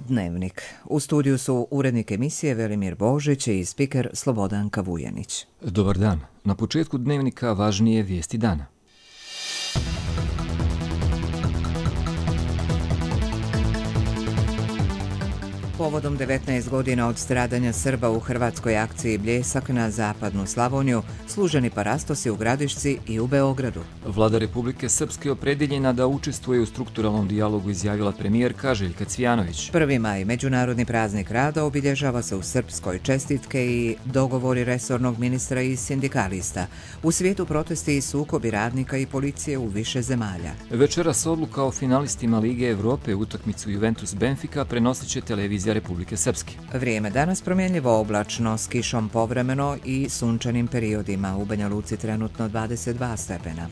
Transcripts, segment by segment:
Dnevnik. U studiju su urednik emisije Velimir Božić i spiker Slobodanka Vujanić. Dobar dan. Na početku Dnevnika važnije vijesti dana. Povodom 19 godina od stradanja Srba u hrvatskoj akciji Bljesak na zapadnu Slavoniju, služeni parastosi u Gradišci i u Beogradu. Vlada Republike Srpske opredjeljena da učestvuje u strukturalnom dijalogu, izjavila premijerka Željka Cvijanović. 1. maj, međunarodni praznik rada, obilježava se u Srpskoj. Čestitke i dogovori resornog ministra i sindikalista. U svijetu protesti i sukobi radnika i policije u više zemalja. Večeras odluka o finalistima Lige Evrope, utakmicu Juventus-Benfica prenosit će televizija Republike Srpske. Vrijeme danas promjenljivo oblačno, s kišom povremeno i sunčanim periodima. U Banja Luci trenutno 22 stepena.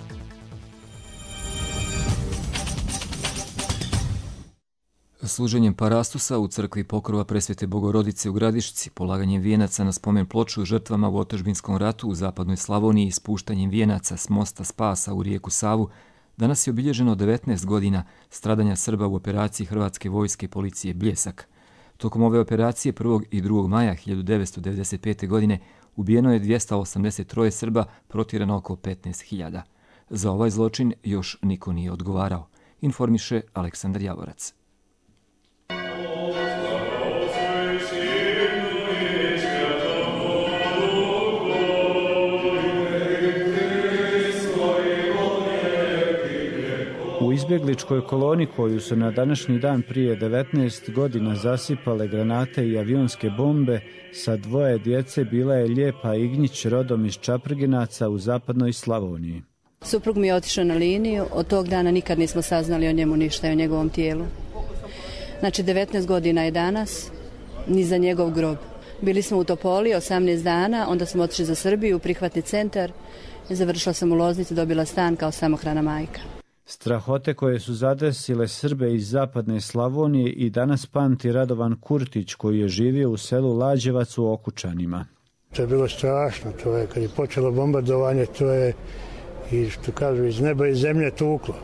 Služenjem parastosa u crkvi Pokrova Presvete Bogorodice u Gradišci, polaganjem vijenaca na spomen ploču žrtvama u otadžbinskom ratu u zapadnoj Slavoniji i spuštanjem vijenaca s mosta Spasa u rijeku Savu, danas je obilježeno 19 godina stradanja Srba u operaciji Hrvatske vojske i policije Bljesak. Tokom ove operacije 1. i 2. maja 1995. godine ubijeno je 283 Srba, protjerano oko 15.000. Za ovaj zločin još niko nije odgovarao, informiše Aleksandar Javorac. U izbjegličkoj koloni koju su na današnji dan prije 19 godina zasipale granate i avionske bombe, sa 2 djece bila je Lijepa Ignjić, rodom iz Čaprginaca u zapadnoj Slavoniji. Suprug mi je otišao na liniju, od tog dana nikad nismo saznali o njemu ništa i o njegovom tijelu. Znači 19 godina je danas, ni za njegov grob. Bili smo u Topoli 18 dana, onda smo otišli za Srbiju u prihvatni centar i završila sam u Loznici, dobila stan kao samohrana majka. Strahote koje su zadesile Srbe iz zapadne Slavonije i danas pamti Radovan Kurtić, koji je živio u selu Lađevac u Okučanima. To je bilo strašno, to je kad je počelo bombardovanje, to je i što kažu iz neba i zemlje tuklo.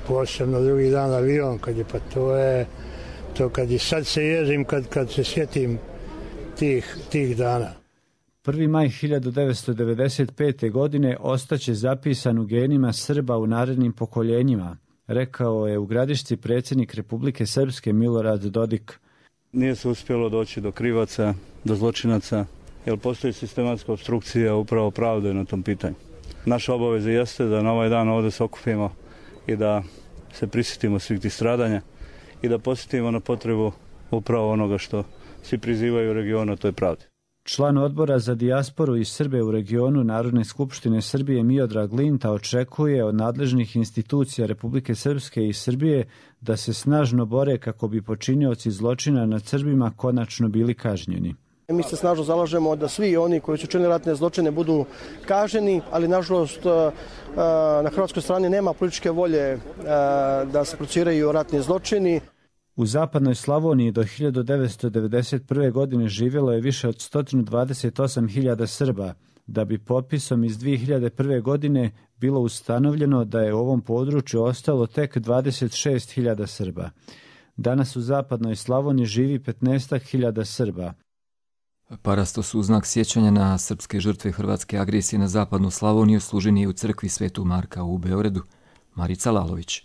Posebno drugi dan avion, kad je, pa to kad i sad se jezim kad se sjetim tih dana. 1. maj 1995. godine ostaće zapisan u genima Srba u narednim pokoljenjima, rekao je u Gradišci predsjednik Republike Srpske Milorad Dodik. Nije se uspjelo doći do krivaca, do zločinaca, jer postoji sistematska opstrukcija upravo pravde na tom pitanju. Naša obaveza jeste da na ovaj dan ovdje se okupimo i da se prisjetimo svih tih stradanja i da posjetimo na potrebu upravo onoga što svi prizivaju u regionu, a to je pravda. Član odbora za dijasporu i Srbe u regionu Narodne skupštine Srbije Miodrag Linta očekuje od nadležnih institucija Republike Srpske i Srbije da se snažno bore kako bi počinioci zločina nad Srbima konačno bili kažnjeni. Mi se snažno zalažemo da svi oni koji su činili ratne zločine budu kažnjeni, ali nažalost na hrvatskoj strani nema političke volje da se procesuiraju ratni zločini. U zapadnoj Slavoniji do 1991. godine živjelo je više od 128.000 Srba, da bi popisom iz 2001. godine bilo ustanovljeno da je u ovom području ostalo tek 26.000 Srba. Danas u zapadnoj Slavoniji živi 15.000 Srba. Parastos u znak sjećanja na srpske žrtve hrvatske agresije na zapadnu Slavoniju služen je u crkvi Svetog Marka u Beogradu. Marica Lalović.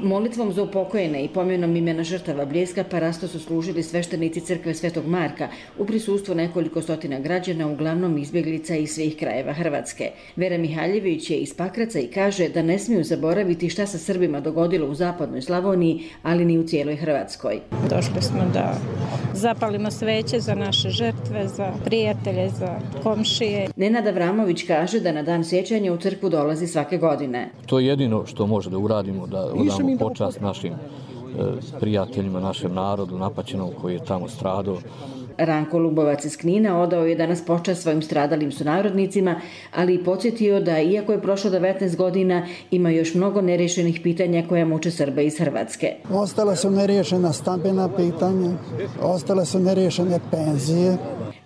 Molitvom za upokojene i pomjenom imena žrtava Bljeska parasto su služili sveštenici crkve Svetog Marka u prisustvu nekoliko stotina građana, uglavnom izbjeglica iz svih krajeva Hrvatske. Vera Mihaljević je iz Pakraca i kaže da ne smiju zaboraviti šta se Srbima dogodilo u zapadnoj Slavoniji, ali ni u cijeloj Hrvatskoj. Došli smo da zapalimo sveće za naše žrtve, za prijatelje, za komšije. Nenad Avramović kaže da na dan sjećanja u crkvu dolazi svake godine. To je jedino što može da uradimo, da odamo počast našim prijateljima, našem narodu napaćenom koji je tamo stradao. Ranko Lubovac iz Knina odao je danas počast svojim stradalim sunarodnicima, ali i podsjetio da, iako je prošlo 19 godina, ima još mnogo nerješenih pitanja koja muče Srbe iz Hrvatske. Ostale su nerješena stambena pitanja, ostale su nerješene penzije.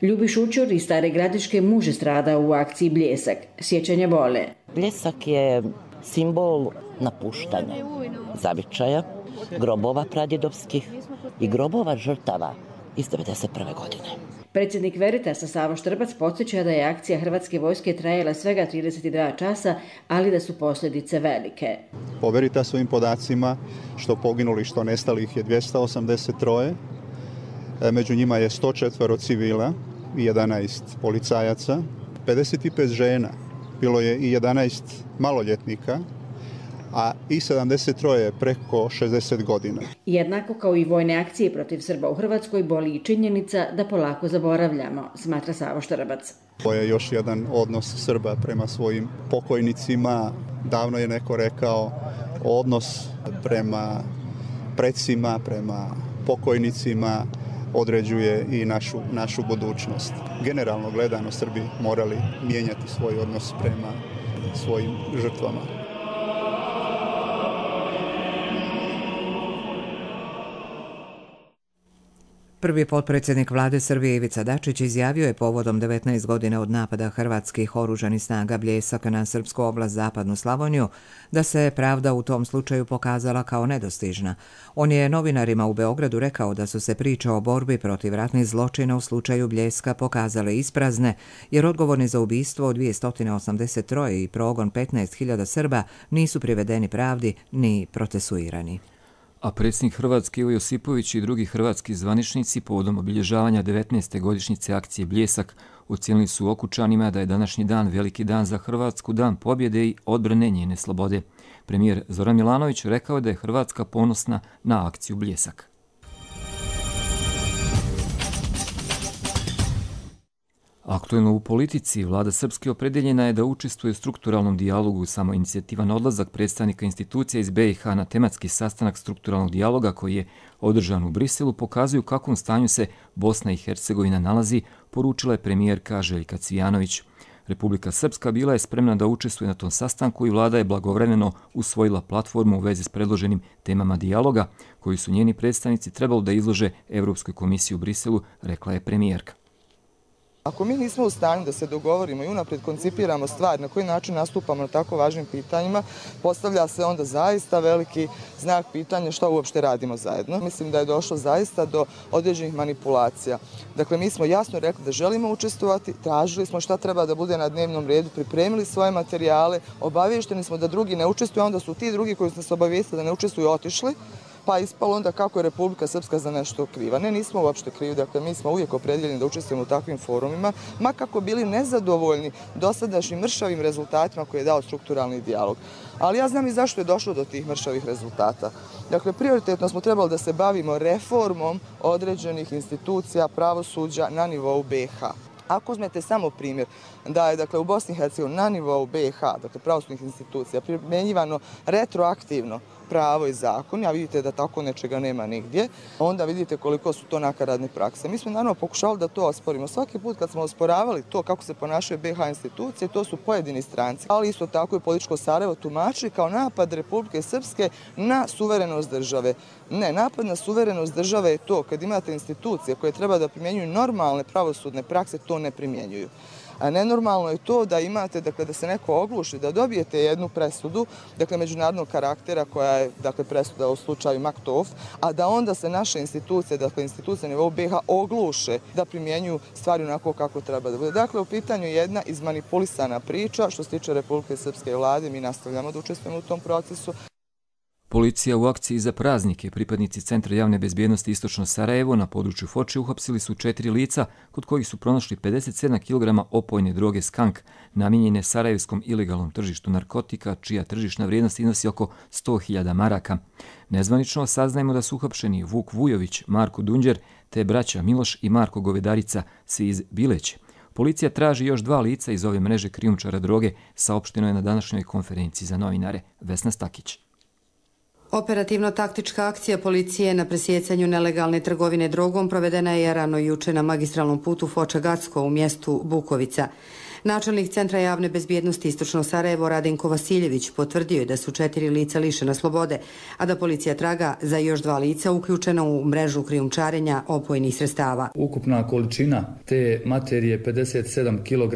Ljubiš Učur iz Stare Gradiške muž je stradao u akciji Bljesak. Sjećanja bole. Bljesak je simbol napuštanja, zavičaja, grobova pradjedovskih i grobova žrtava iz 1991. godine. Predsjednik Veritasa Savo Štrbac podsjeća da je akcija Hrvatske vojske trajala svega 32 časa, ali da su posljedice velike. Po Veritasovim podacima što poginuli, što nestalih je 283, među njima je 104 civila i 11 policajaca, 55 žena, bilo je i 11 maloljetnika, a i 73 preko 60 godina. Jednako kao i vojne akcije protiv Srba u Hrvatskoj boli i činjenica da polako zaboravljamo, smatra Savo Štrbac. To je još jedan odnos Srba prema svojim pokojnicima. Davno je neko rekao, odnos prema precima, prema pokojnicima određuje i našu budućnost. Generalno gledano, Srbi morali mijenjati svoj odnos prema svojim žrtvama. Prvi potpredsjednik vlade Srbije Ivica Dačić izjavio je povodom 19 godina od napada hrvatskih oružanih snaga Bljesak na srpsku oblast Zapadnu Slavoniju da se pravda u tom slučaju pokazala kao nedostižna. On je novinarima u Beogradu rekao da su se priče o borbi protiv ratnih zločina u slučaju Bljeska pokazale isprazne, jer odgovorni za ubistvo od 283 i progon 15.000 Srba nisu privedeni pravdi ni procesuirani. A predsjednik Hrvatske Ivo Josipović i drugi hrvatski zvaničnici povodom obilježavanja 19. godišnjice akcije Bljesak ocijenili su Okučanima da je današnji dan veliki dan za Hrvatsku, dan pobjede i odbrane njene slobode. Premijer Zoran Milanović rekao je da je Hrvatska ponosna na akciju Bljesak. Aktuelno u politici, vlada Srpske opredeljena je da učestvuje u strukturalnom dijalogu. Samo inicijativan odlazak predstavnika institucija iz BiH na tematski sastanak strukturalnog dijaloga koji je održan u Briselu pokazuju u kakvom stanju se Bosna i Hercegovina nalazi, poručila je premijerka Željka Cvijanović. Republika Srpska bila je spremna da učestvuje na tom sastanku i vlada je blagovremeno usvojila platformu u vezi s predloženim temama dijaloga koji su njeni predstavnici trebali da izlože Evropskoj komisiji u Briselu, rekla je premijerka. Ako mi nismo u stanju da se dogovorimo i unaprijed koncipiramo stvar na koji način nastupamo na tako važnim pitanjima, postavlja se onda zaista veliki znak pitanja što uopšte radimo zajedno. Mislim da je došlo zaista do određenih manipulacija. Dakle, mi smo jasno rekli da želimo učestvovati, tražili smo šta treba da bude na dnevnom redu, pripremili svoje materijale, obavješteni smo da drugi ne učestvuju, onda su ti drugi koji su nas obavijestili da ne učestvuju otišli, pa ispalo onda kako je Republika Srpska za nešto kriva. Ne, nismo uopšte krivi, dakle mi smo uvijek opredeljeni da učestvujemo u takvim forumima, ma kako bili nezadovoljni dosadašnjim mršavim rezultatima koje je dao strukturalni dijalog. Ali ja znam i zašto je došlo do tih mršavih rezultata. Dakle, prioritetno smo trebali da se bavimo reformom određenih institucija pravosuđa na nivou BiH. Ako uzmete samo primjer da je dakle, u Bosni i Hercegovini na nivou BiH, dakle pravosudnih institucija, primjenjivano retroaktivno pravo i zakon, a vidite da tako nečega nema nigdje, onda vidite koliko su to nakaradne prakse. Mi smo naravno pokušali da to osporimo. Svaki put kad smo osporavali to kako se ponašaju BiH institucije, to su pojedini stranci, ali isto tako i političko Sarajevo tumačili kao napad Republike Srpske na suverenost države. Ne, napad na suverenost države je to kad imate institucije koje treba da primjenjuju normalne pravosudne prakse, to ne primjenjuju. A nenormalno je to da imate, dakle, da se neko ogluši, da dobijete jednu presudu, dakle, međunarodnog karaktera koja je, dakle, presuda u slučaju Maktov, a da onda se naše institucije, dakle, institucije na nivou BiH ogluše da primjenjuju stvari onako kako treba da bude. Dakle, u pitanju je jedna izmanipulisana priča što se tiče Republike Srpske vlade, mi nastavljamo da učestvujemo u tom procesu. Policija u akciji za praznike, pripadnici Centra javne bezbjednosti Istočno Sarajevo na području Foče uhapsili su 4 lica kod kojih su pronašli 57 kg opojne droge skank namijenjene sarajevskom ilegalnom tržištu narkotika, čija tržišna vrijednost iznosi oko 100.000 maraka. Nezvanično saznajemo da su uhapšeni Vuk Vujović, Marko Dunđer te braća Miloš i Marko Govedarica, svi iz Bileće. Policija traži još 2 lica iz ove mreže krijumčara droge, saopšteno je na današnjoj konferenciji za novinare. Vesna Stakić. Operativno-taktička akcija policije na presjecanju nelegalne trgovine drogom provedena je rano juče na magistralnom putu Foča-Gacko u mjestu Bukovica. Načelnik Centra javne bezbjednosti Istočno Sarajevo Radenko Vasiljević potvrdio je da su 4 lica lišena slobode, a da policija traga za još 2 lica uključena u mrežu krijumčarenja opojnih sredstava. Ukupna količina te materije 57 kg.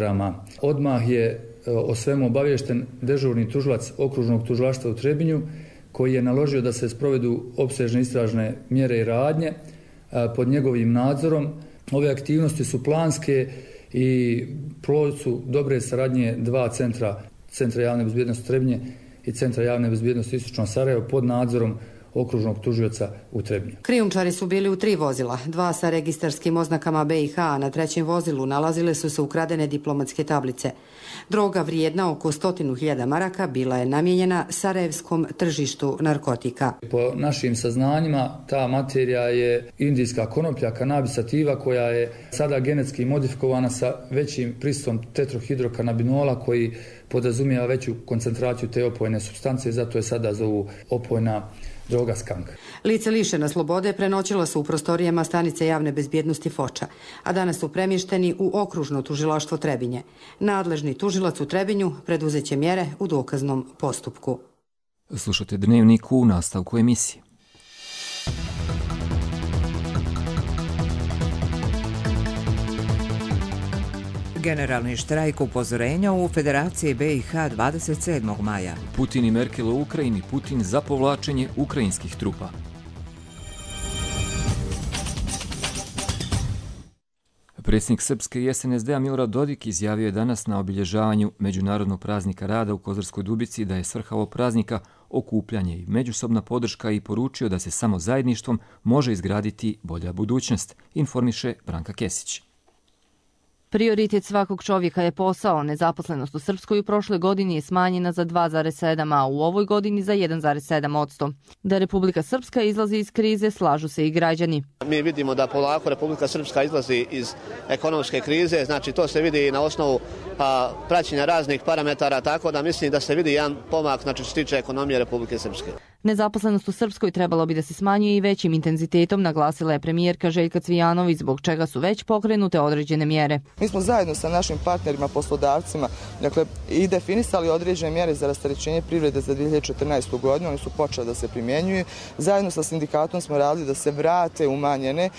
Odmah je o svemu obaviješten dežurni tužilac okružnog tužilaštva u Trebinju, koji je naložio da se sprovedu opsežne istražne mjere i radnje pod njegovim nadzorom. Ove aktivnosti su planske i plod su dobre saradnje dva centra javne bezbjednosti Trebinje i centra javne bezbjednosti Istočno Sarajevo pod nadzorom okružnog tužioca u Trebinju. Krijumčari su bili u 3 vozila, 2 sa registarskim oznakama BiH, a na 3. vozilu nalazile su se ukradene diplomatske tablice. Droga vrijedna oko 100.000 maraka bila je namijenjena sarajevskom tržištu narkotika. Po našim saznanjima ta materija je indijska konoplja, kanabis sativa, koja je sada genetski modifikovana sa većim prisustvom tetrohidrokanabinola koji podrazumijeva veću koncentraciju te opojne supstance, zato je sada zovu opojna droga skank. Lice lišena slobode prenoćila su u prostorijama stanice javne bezbjednosti Foča, a danas su premješteni u okružno tužilaštvo Trebinje. Nadležni tužilac u Trebinju preduzeće mjere u dokaznom postupku. Slušate Dnevnik u nastavku emisije. Generalni štrajk upozorenja u Federaciji BiH 27. maja. Putin i Merkel u Ukrajini, Putin za povlačenje ukrajinskih trupa. Predsjednik Srpske i SNSD-a Milorad Dodik izjavio je danas na obilježavanju Međunarodnog praznika rada u Kozarskoj Dubici da je svrha ovog praznika okupljanje i međusobna podrška i poručio da se samo zajedništvom može izgraditi bolja budućnost, informiše Branka Kesić. Prioritet svakog čovjeka je posao. Nezaposlenost u Srpskoj u prošloj godini je smanjena za 2,7%, a u ovoj godini za 1,7%. Da Republika Srpska izlazi iz krize, slažu se i građani. Mi vidimo da polako Republika Srpska izlazi iz ekonomske krize, znači to se vidi na osnovu praćenja raznih parametara, tako da mislim da se vidi jedan pomak, znači što se tiče ekonomije Republike Srpske. Nezaposlenost u Srpskoj trebalo bi da se smanjuje i većim intenzitetom, naglasila je premijerka Željka Cvijanović, zbog čega su već pokrenute određene mjere. Mi smo zajedno sa našim partnerima, poslodavcima, i definisali određene mjere za rasterećenje privrede za 2014. godinu, oni su počeli da se primjenjuju. Zajedno sa sindikatom smo radili da se vrate umanjene,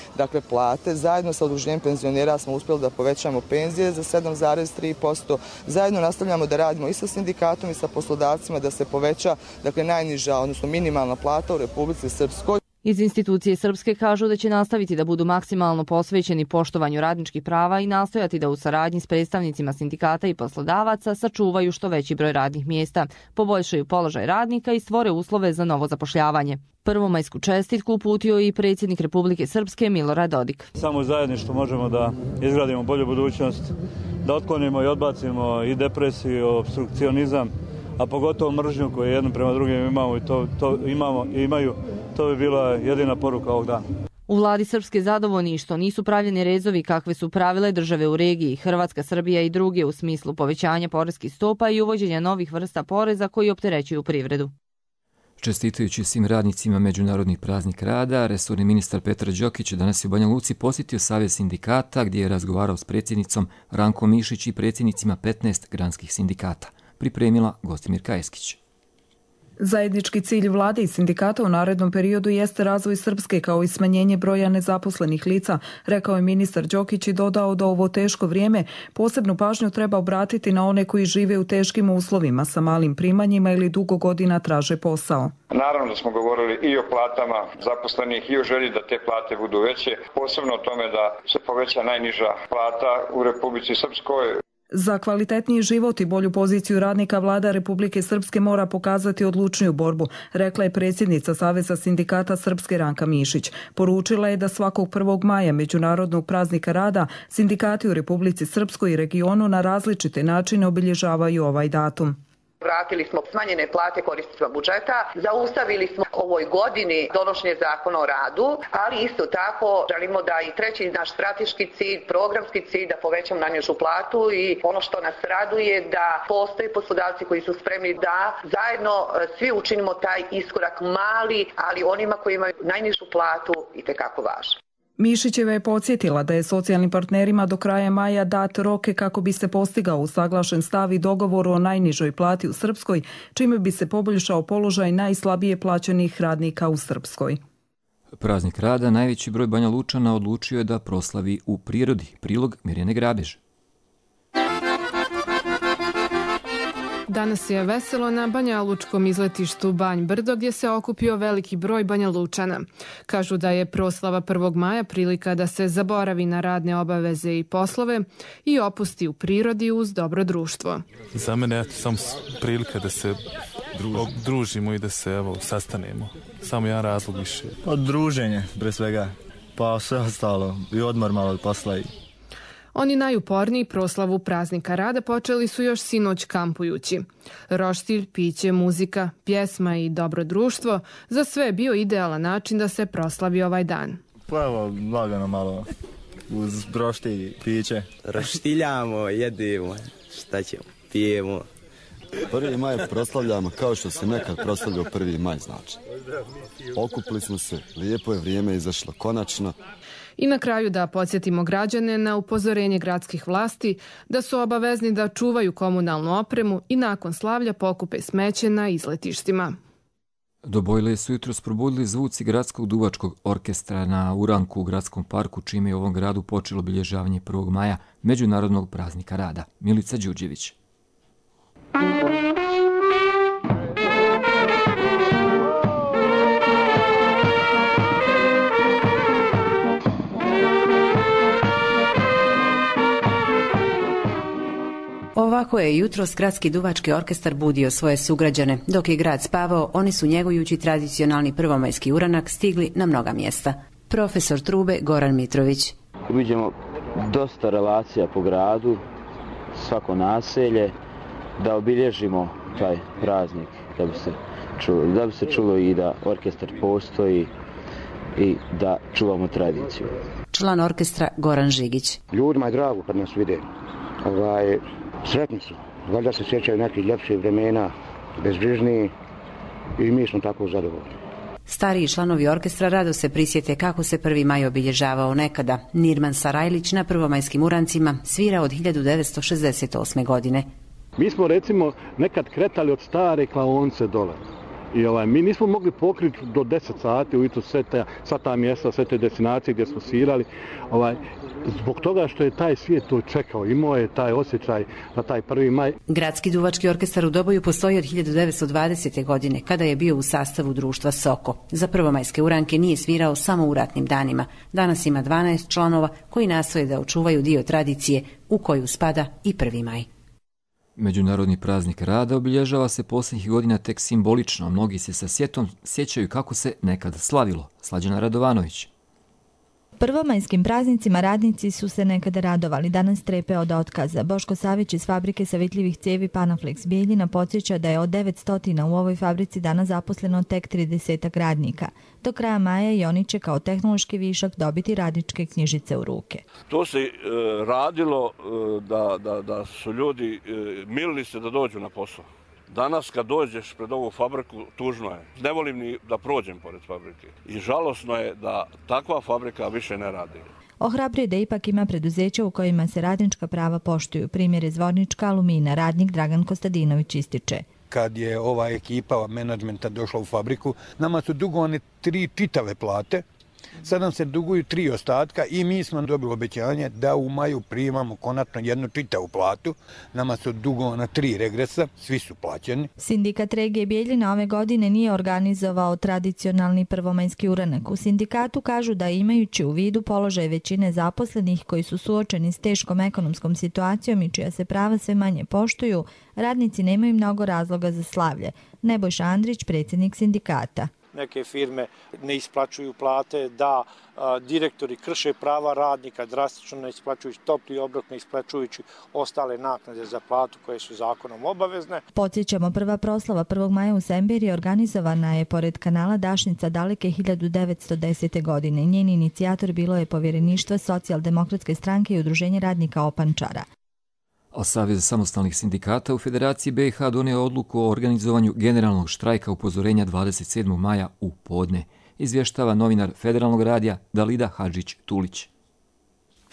plate. Zajedno sa udruženjem penzionera smo uspjeli da povećamo penzije za 7,3%. Zajedno nastavljamo da radimo i sa sindikatom i sa poslodavcima da se poveća, najniža, odnosno minimalna plata u Republici Srpskoj. Iz institucije Srpske kažu da će nastaviti da budu maksimalno posvećeni poštovanju radničkih prava i nastojati da u saradnji s predstavnicima sindikata i poslodavaca sačuvaju što veći broj radnih mjesta, poboljšaju položaj radnika i stvore uslove za novo zapošljavanje. Prvomajsku čestitku uputio i predsjednik Republike Srpske Milorad Dodik. Samo zajedništvo možemo da izgradimo bolju budućnost, da otklonimo i odbacimo i depresiju, obstrukcionizam, a pogotovo mržnju koju jednom prema drugim imaju. To bi bila jedina poruka ovog dana. U vladi Srpske zadovoljni što nisu pravljeni rezovi kakve su pravile države u regiji, Hrvatska, Srbija i druge u smislu povećanja poreskih stopa i uvođenja novih vrsta poreza koji opterećuju privredu. Čestitajući svim radnicima Međunarodnih praznika rada, resorni ministar Petar Đokić danas je u Banja Luci posjetio Savez sindikata gdje je razgovarao s predsjednicom Rankom Mišić i predsjednicima 15 granskih sindikata. Pripremila Gostimirka Eskić. Zajednički cilj vlade i sindikata u narednom periodu jeste razvoj Srpske kao i smanjenje broja nezaposlenih lica, rekao je ministar Đokić i dodao da ovo teško vrijeme posebnu pažnju treba obratiti na one koji žive u teškim uslovima sa malim primanjima ili dugo godina traže posao. Naravno da smo govorili i o platama zaposlenih i o želji da te plate budu veće, posebno o tome da se poveća najniža plata u Republici Srpskoj. Za kvalitetniji život i bolju poziciju radnika vlada Republike Srpske mora pokazati odlučniju borbu, rekla je predsjednica Saveza sindikata Srpske Ranka Mišić. Poručila je da svakog 1. maja Međunarodnog praznika rada sindikati u Republici Srpskoj i regionu na različite načine obilježavaju ovaj datum. Vratili smo smanjene plate korisnicima budžeta, zaustavili smo ovoj godini donošenje zakona o radu, ali isto tako želimo da i treći naš strateški cilj, programski cilj, da povećamo najnižu platu i ono što nas raduje da postoje poslodavci koji su spremni da zajedno svi učinimo taj iskorak mali, ali onima koji imaju najnižu platu itekako važno. Mišićeva je podsjetila da je socijalnim partnerima do kraja maja dat roke kako bi se postigao usaglašen stav i dogovor o najnižoj plati u Srpskoj, čime bi se poboljšao položaj najslabije plaćenih radnika u Srpskoj. Praznik rada najveći broj Banja Lučana odlučio je da proslavi u prirodi. Prilog Mirjane Grabež. Danas je veselo na banjalučkom izletištu Banj Brdo gdje se okupio veliki broj Banjalučana. Kažu da je proslava 1. maja prilika da se zaboravi na radne obaveze i poslove i opusti u prirodi uz dobro društvo. Za mene je samo prilika da se družimo i da se sastanemo. Samo jedan razlog više. Druženje, pre svega, pa sve ostalo i odmor malo od posla. Oni najuporniji proslavu praznika rada počeli su još sinoć kampujući. Roštilj, piće, muzika, pjesma i dobro društvo za sve je bio idealan način da se proslavi ovaj dan. Pa evo, lagano malo uz roštilj, piće. Roštiljamo, jedemo, šta ćemo, pijemo. 1. maj proslavljamo kao što se nekad proslavljao 1. maj, znači. Okupili smo se, lijepo je vrijeme izašlo, konačno. I na kraju da podsjetimo građane na upozorenje gradskih vlasti da su obavezni da čuvaju komunalnu opremu i nakon slavlja pokupe smeće na izletištima. Do bojle su jutros probudili zvuci gradskog duvačkog orkestra na Uranku u gradskom parku, čime je u ovom gradu počelo obilježavanje 1. maja, Međunarodnog praznika rada. Milica Đurđević. Ovako je jutros gradski duvački orkestar budio svoje sugrađane. Dok je grad spavao, oni su njegujući tradicionalni prvomajski uranak stigli na mnoga mjesta. Profesor trube Goran Mitrović. Vidimo dosta relacija po gradu, svako naselje, da obilježimo taj praznik, da bi se čulo i da orkestar postoji i da čuvamo tradiciju. Član orkestra Goran Žigić. Ljudima je drago kad nas vide. Sretni su. Valjda se sjećaju nekih ljepših vremena, bezbrižniji i mi smo tako zadovoljni. Stariji članovi orkestra rado se prisjete kako se 1. maj obilježavao nekada. Nirman Sarajlić na prvomajskim urancima svira od 1968. godine. Mi smo recimo nekad kretali od stare klaonce dole. I mi nismo mogli pokriti do 10 sati ujutro sva ta mjesta, sve te destinacije gdje smo svirali. Zbog toga što je taj svijet to čekao, imao je taj osjećaj na taj 1. maj. Gradski duvački orkestar u Doboju postoji od 1920. godine, kada je bio u sastavu društva Soko. Za prvomajske uranke nije svirao samo u ratnim danima. Danas ima 12 članova koji nastoje da očuvaju dio tradicije u koju spada i 1. maj. Međunarodni praznik rada obilježava se posljednjih godina tek simbolično. Mnogi se sa sjetom sjećaju kako se nekad slavilo. Slađana Radovanović. Prvomajskim praznicima radnici su se nekada radovali, danas strepe od otkaza. Boško Savić iz fabrike savitljivih cijevi Panaflex Bijeljina podsjeća da je od 900 u ovoj fabrici danas zaposleno tek 30 radnika. Do kraja maja i oni će kao tehnološki višak dobiti radničke knjižice u ruke. To se radilo da su ljudi milili se da dođu na posao. Danas kad dođeš pred ovu fabriku, tužno je. Ne volim ni da prođem pored fabrike. I žalosno je da takva fabrika više ne radi. Ohrabruje da ipak ima preduzeća u kojima se radnička prava poštuju. Primjer je Zvornička Alumina, radnik Dragan Kostadinović ističe. Kad je ova ekipa menadžmenta došla u fabriku, nama su dugovane 3 čitave plate. Sad nam se duguju 3 ostatka i mi smo dobili obećanje da u maju primamo konačno jednu čitavu platu. Nama su dugovana 3 regresa, svi su plaćeni. Sindikat regije Bijeljina ove godine nije organizovao tradicionalni prvomajski uranak. U sindikatu kažu da imajući u vidu položaj većine zaposlenih koji su suočeni s teškom ekonomskom situacijom i čija se prava sve manje poštuju, radnici nemaju mnogo razloga za slavlje. Nebojša Andrić, predsjednik sindikata. Neke firme ne isplaćuju plate, da direktori krše prava radnika, drastično ne isplaćujući topli obrok, ne isplaćujući ostale naknade za platu koje su zakonom obavezne. Podsjećamo, prva proslava 1. maja u Semberi organizovana je pored kanala Dašnica daleke 1910. godine. Njen inicijator bilo je povjereništvo Socijaldemokratske stranke i Udruženje radnika Opančara. A Savez samostalnih sindikata u Federaciji BiH donio odluku o organizovanju generalnog štrajka upozorenja 27. maja u podne, izvještava novinar Federalnog radija Dalida Hadžić-Tulić.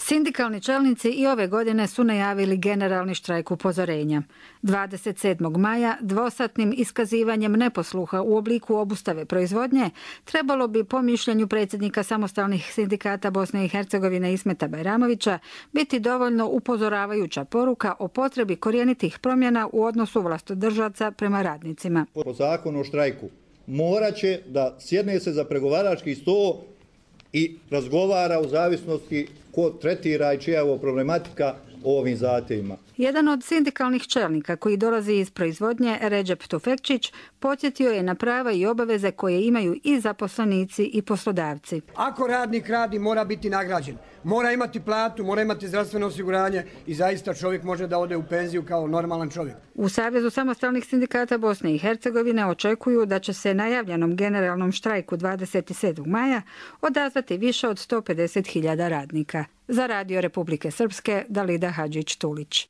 Sindikalni čelnici i ove godine su najavili generalni štrajk upozorenja. 27. maja dvosatnim iskazivanjem neposluha u obliku obustave proizvodnje trebalo bi, po mišljenju predsjednika samostalnih sindikata Bosne i Hercegovine Ismeta Bajramovića, biti dovoljno upozoravajuća poruka o potrebi korijenitih promjena u odnosu vlastodržaca prema radnicima. Po zakonu o štrajku morat će da sjedne se za pregovarački sto i razgovara u zavisnosti ko tretira i čija je ovo problematika o ovim zahtjevima. Jedan od sindikalnih čelnika koji dolazi iz proizvodnje, Redžep Tufekčić, podsjetio je na prava i obaveze koje imaju i zaposlenici i poslodavci. Ako radnik radi, mora biti nagrađen. Mora imati platu, mora imati zdravstveno osiguranje i zaista čovjek može da ode u penziju kao normalan čovjek. U Savezu samostalnih sindikata Bosne i Hercegovine očekuju da će se najavljenom generalnom štrajku 27. maja odazvati više od 150.000 radnika. Za Radio Republike Srpske, Dalida Hadžić-Tulić.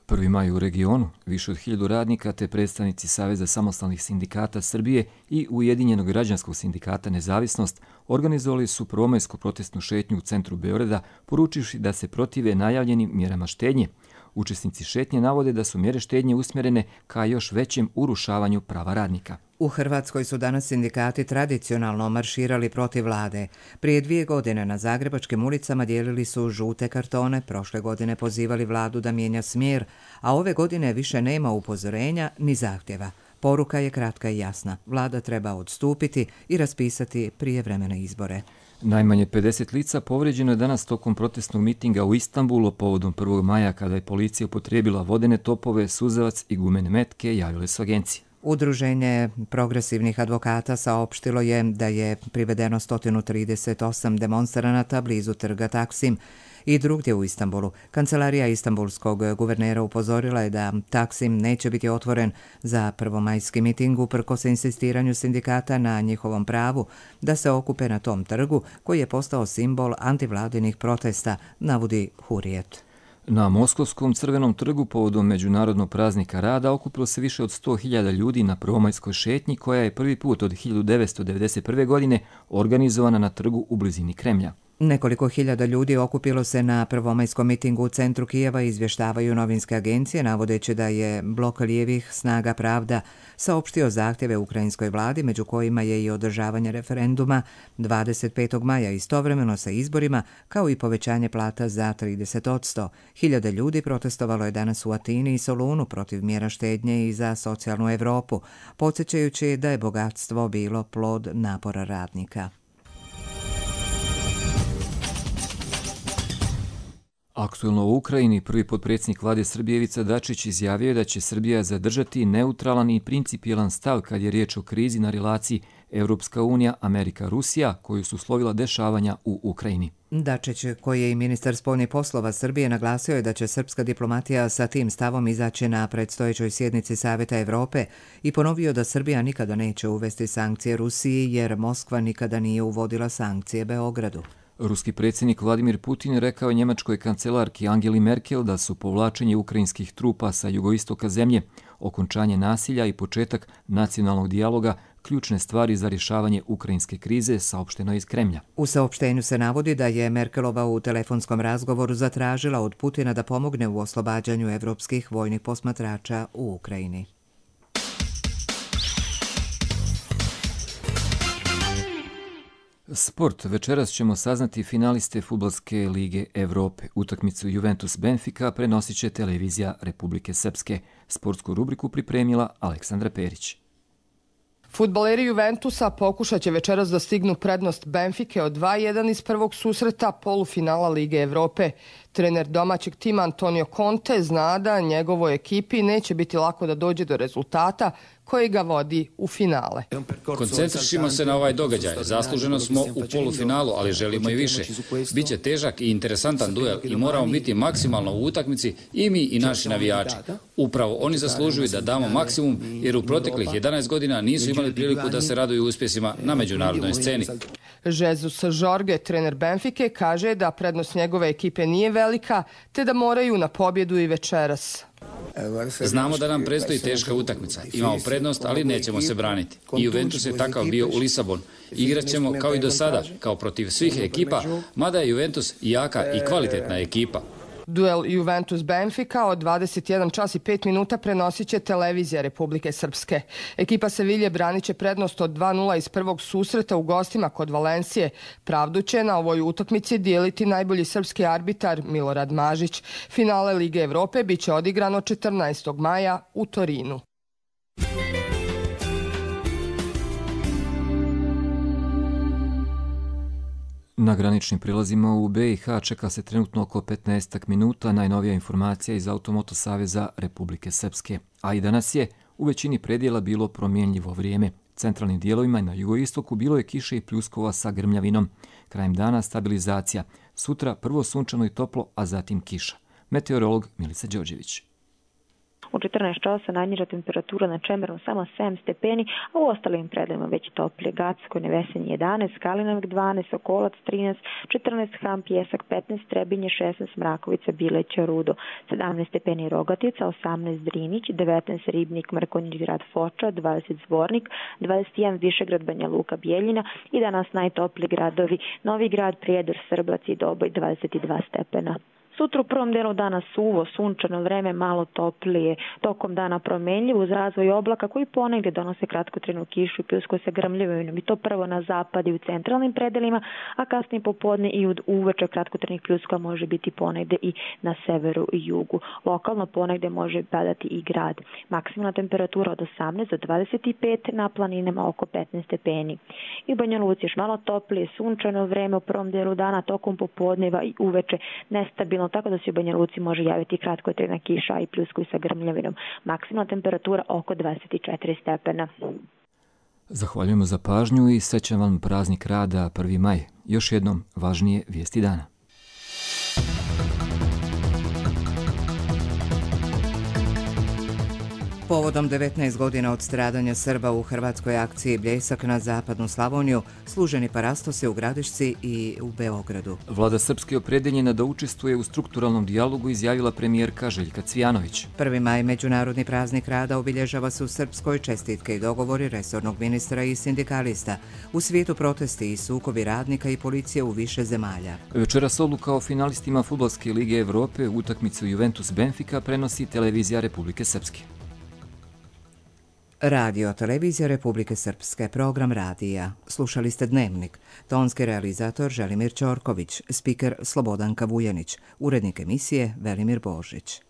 1. maj u regionu, više od 1000 radnika te predstavnici Saveza samostalnih sindikata Srbije i Ujedinjenog građanskog sindikata Nezavisnost organizovali su prvomajsku protestnu šetnju u centru Beograda, poručivši da se protive najavljenim mjerama štednje. Učesnici šetnje navode da su mjere štednje usmjerene ka još većem urušavanju prava radnika. U Hrvatskoj su danas sindikati tradicionalno marširali protiv vlade. Prije 2 godine na zagrebačkim ulicama dijelili su žute kartone, prošle godine pozivali vladu da mijenja smjer, a ove godine više nema upozorenja ni zahtjeva. Poruka je kratka i jasna. Vlada treba odstupiti i raspisati prijevremene izbore. Najmanje 50 lica povrijeđeno je danas tokom protestnog mitinga u Istanbulu povodom 1. maja kada je policija upotrijebila vodene topove, suzavac i gumene metke, javile su agencije. Udruženje progresivnih advokata saopštilo je da je privedeno 138 demonstranata blizu trga Taksim i drugdje u Istanbulu. Kancelarija istanbulskog guvernera upozorila je da Taksim neće biti otvoren za prvomajski miting uprkos insistiranju sindikata na njihovom pravu da se okupe na tom trgu koji je postao simbol antivladinih protesta, navodi Hurijet. Na Moskovskom crvenom trgu povodom Međunarodnog praznika rada okupilo se više od 100.000 ljudi na prvomajskoj šetnji koja je prvi put od 1991. godine organizovana na trgu u blizini Kremlja. Nekoliko hiljada ljudi okupilo se na prvomajskom mitingu u centru Kijeva, izvještavaju novinske agencije, navodeći da je blok lijevih snaga Pravda saopštio zahtjeve ukrajinskoj vladi, među kojima je i održavanje referenduma 25. maja istovremeno sa izborima, kao i povećanje plata za 30%. Hiljade ljudi protestovalo je danas u Atini i Solunu protiv mjera štednje i za socijalnu Europu, podsjećajući da je bogatstvo bilo plod napora radnika. Aktuelno u Ukrajini prvi potpredsjednik vlade Srbije Ivica Dačić izjavio je da će Srbija zadržati neutralan i principijelan stav kad je riječ o krizi na relaciji Evropska unija, Amerika, Rusija, koju su uslovila dešavanja u Ukrajini. Dačić, koji je i ministar spoljnih poslova Srbije, naglasio je da će srpska diplomatija sa tim stavom izaći na predstojećoj sjednici Saveta Evrope i ponovio da Srbija nikada neće uvesti sankcije Rusiji jer Moskva nikada nije uvodila sankcije Beogradu. Ruski predsjednik Vladimir Putin rekao je njemačkoj kancelarki Angeli Merkel da su povlačenje ukrajinskih trupa sa jugoistoka zemlje, okončanje nasilja i početak nacionalnog dijaloga ključne stvari za rješavanje ukrajinske krize, saopšteno iz Kremlja. U saopštenju se navodi da je Merkelova u telefonskom razgovoru zatražila od Putina da pomogne u oslobađanju evropskih vojnih posmatrača u Ukrajini. Sport. Večeras ćemo saznati finaliste Fudbalske lige Evrope. Utakmicu Juventus-Benfica prenosit će televizija Republike Srpske. Sportsku rubriku pripremila Aleksandra Perić. Fudbaleri Juventusa pokušat će večeras da stignu prednost Benfike od 2-1 iz prvog susreta polufinala Lige Evrope. Trener domaćeg tima Antonio Conte zna da njegovoj ekipi neće biti lako da dođe do rezultata koji ga vodi u finale. Koncentrišimo se na ovaj događaj. Zasluženo smo u polufinalu, ali želimo i više. Biće težak i interesantan duel i moramo biti maksimalno u utakmici i mi i naši navijači. Upravo oni zaslužuju da damo maksimum jer u proteklih 11 godina nisu imali priliku da se raduju uspjesima na međunarodnoj sceni. Jesus Jorge, trener Benfike, kaže da prednost njegove ekipe nije velika, te da moraju na pobjedu i večeras. Znamo da nam predstoji teška utakmica. Imamo prednost, ali nećemo se braniti. I Juventus je takav bio u Lisabonu. Igraćemo kao i do sada, kao protiv svih ekipa, mada je Juventus jaka i kvalitetna ekipa. Duel Juventus-Benfica od 21 čas i 5 minuta prenosit će televizija Republike Srpske. Ekipa Sevilje branit će prednost od 2:0 iz prvog susreta u gostima kod Valencije. Pravdu će na ovoj utakmici dijeliti najbolji srpski arbitar Milorad Mažić. Finale Lige Evrope biće odigrano 14. maja u Torinu. Na graničnim prilazima u BiH čeka se trenutno oko 15 minuta, najnovija informacija iz Automoto saveza Republike Srpske. A i danas je u većini predjela bilo promjenljivo vrijeme. Centralnim dijelovima i na jugoistoku bilo je kiše i pljuskova sa grmljavinom. Krajem dana stabilizacija. Sutra prvo sunčano i toplo, a zatim kiša. Meteorolog Milica Đorđević. U 14 časa najniža temperatura na Čemeru samo 7 stepeni, a u ostalim predelima već toplije. Gacko i Nevesinje 11, Kalinovik 12, Okolac 13, 14 Ham, Pjesak 15, Trebinje 16, Mrakovica, Bileća, Rudo 17 stepeni Rogatica, 18 Drinić, 19 Ribnik, Mrkonjić, grad Foča, 20 Zvornik, 21 Višegrad, Banja Luka, Bijeljina i danas najtopliji gradovi Novi Grad, Prijedor, Srbac i Doboj 22 stepena. Sutra u prvom delu dana suvo, sunčano vreme, malo toplije, tokom dana promenljivo uz razvoj oblaka koji ponegdje donose kratkotrajnu kišu i pljusku sa grmljavinom i to prvo na zapad i u centralnim predelima, a kasnije popodne i uveče kratkotrajnih pljuska može biti ponegdje i na severu i jugu. Lokalno ponegdje može padati i grad. Maksimalna temperatura od 18 do 25, na planinama oko 15 stepeni. I u Banja Luci još malo toplije, sunčano vreme u prvom delu dana, tokom popodneva i uveče nestabilno, tako da se u Banja Luci može javiti kratkotrajna kiša i pljusku sa grmljavinom. Maksimalna temperatura oko 24 stepena. Zahvaljujemo za pažnju i srećan vam praznik rada 1. maj. Još jednom važnije vijesti dana. Povodom 19 godina od stradanja Srba u hrvatskoj akciji Bljesak na zapadnu Slavoniju, služeni parastos je u Gradišci i u Beogradu. Vlada Srpske opredeljena da učestvuje u strukturalnom dijalogu izjavila premijerka Željka Cvijanović. 1. maj, međunarodni praznik rada, obilježava se u Srpskoj. Čestitke i dogovori resornog ministra i sindikalista. U svijetu protesti i sukobi radnika i policije u više zemalja. Večeras odluka o finalistima Fudbalske lige Evrope, utakmicu Juventus-Benfica prenosi televizija Republike Srpske. Radio televizija Republike Srpske, program radija. Slušali ste Dnevnik. Tonski realizator Želimir Ćorković, spiker Slobodanka Vujanić, urednik emisije Velimir Božić.